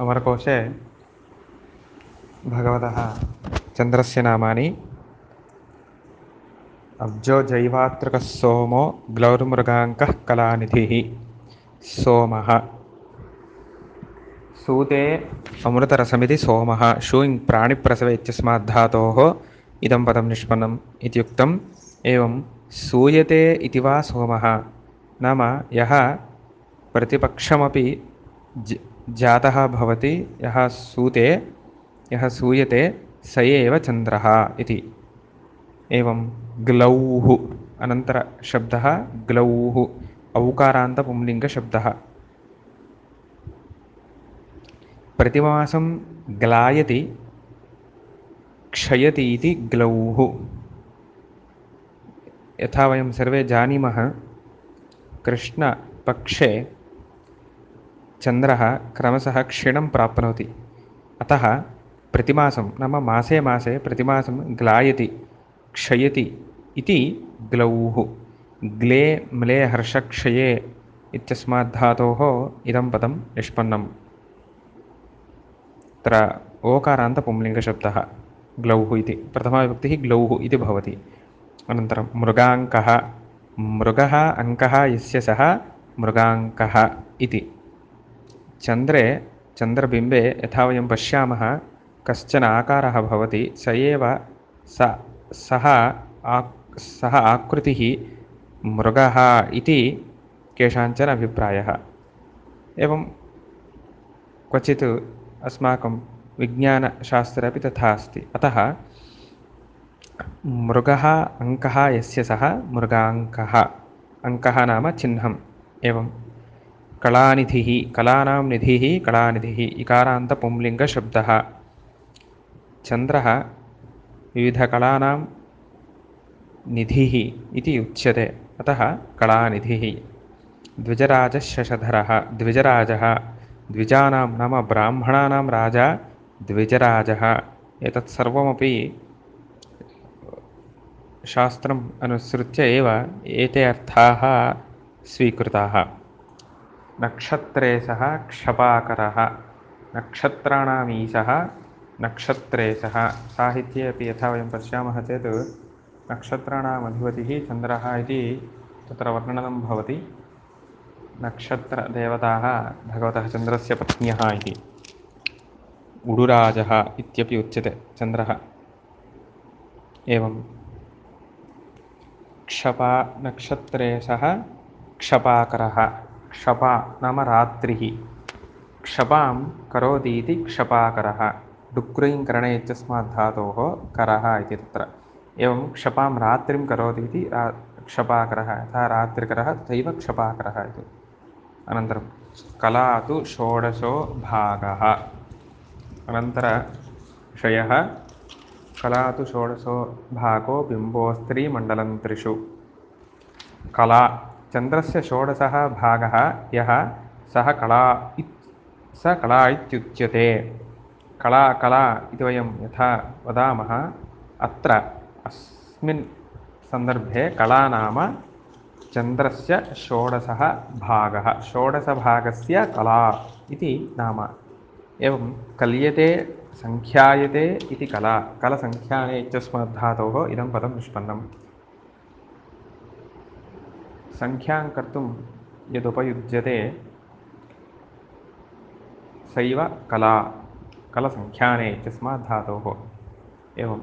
अमरकोशे भगवतः चन्द्रस्य नामानि अब्जो जैवात्रिकः सोमो ग्लौर्मृगाङ्कः कलानिधिः सोमः सूते अमृतरसमिति सोमः शूइङ् प्राणिप्रसवे इत्यस्माद्धातोः इदं पदं निष्पन्नम् इत्युक्तम्। एवं सूयते इति वा सोमः नाम यः प्रतिपक्षमपि जातः भवति, यः सूयते स एव चन्द्रः इति। एवं ग्लौः अनन्तरशब्दः ग्लौः औकारान्तपुंलिङ्गशब्दः। प्रतिमासं ग्लायति क्षयति इति ग्लौः। यथा वयं सर्वे जानीमः, कृष्णपक्षे चन्द्रः क्रमशः क्षीणं प्राप्नोति। अतः प्रतिमासं नाम मासे मासे प्रतिमासं ग्लायति क्षयति इति ग्लौः। ग्ले म्ले हर्षक्षये इत्यस्माद्धातोः इदं पदं निष्पन्नम्। अत्र ओकारान्तपुंलिङ्गशब्दः ग्लौः इति, प्रथमाविभक्तिः ग्लौः इति भवति। अनन्तरं मृगाङ्कः, मृगः अङ्कः यस्य सः मृगाङ्कः इति। चन्द्रे चन्द्रबिम्बे यथा वयं पश्यामः कश्चन आकारः भवति, सः आकृतिः मृगः इति केषाञ्चन अभिप्रायः। एवं क्वचित् अस्माकं विज्ञानशास्त्रे अपि तथा अस्ति। अतः मृगः अङ्कः यस्य सः मृगाङ्कः, अङ्कः नाम चिह्नम्। एवं कलानिधिः, कलानां निधिः कलानिधिः इकारान्तपुंलिङ्गशब्दः। चन्द्रः विविधकलानां निधिः इति उच्यते, अतः कलानिधिः। द्विजराजः शशधरः, द्विजराजः द्विजानां नाम ब्राह्मणानां राजा द्विजराजः। एतत् सर्वमपि शास्त्रम् अनुसृत्य एव एते अर्थाः स्वीकृताः। नक्षत्रे सः क्षपाकरः, नक्षत्राणाम् ईशः नक्षत्रे सः। साहित्ये अपि यथा वयं पश्यामः चेत् नक्षत्राणाम् अधिपतिः चन्द्रः इति तत्र वर्णनं भवति। नक्षत्रदेवताः भगवतः चन्द्रस्य पत्न्यः इति। उडुराजः इत्यपि उच्यते चन्द्रः। एवं क्षपा नक्षत्रे सः क्षपाकरः, क्षपा नाम रात्रिः, क्षपां करोति इति क्षपाकरः। डुक्रीङ्करणे इत्यस्माद्धातोः करः इति तत्र। एवं क्षपां रात्रिं करोति इति क्षपाकरः, यथा रात्रिकरः तथैव क्षपाकरः इति। अनन्तरं कला तु षोडशो भागः। अनन्तरविषयः कला तु षोडशो भागो बिम्बोस्त्रीमण्डलं त्रिषु। कला चन्द्रस्य षोडशः भागः यः सः कला इत्युच्यते। कला कला इति वयं यथा वदामः, अत्र अस्मिन् सन्दर्भे कला नाम चन्द्रस्य षोडशः भागः, षोडशभागस्य कला इति नाम। एवं कल्यते सङ्ख्यायते इति कला, कलसङ्ख्याने इत्यस्माद्धातोः इदं पदं निष्पन्नम्। सङ्ख्यां कर्तुं यदुपयुज्यते सैव कला, कलसङ्ख्याने इत्यस्माद्धातोः। एवं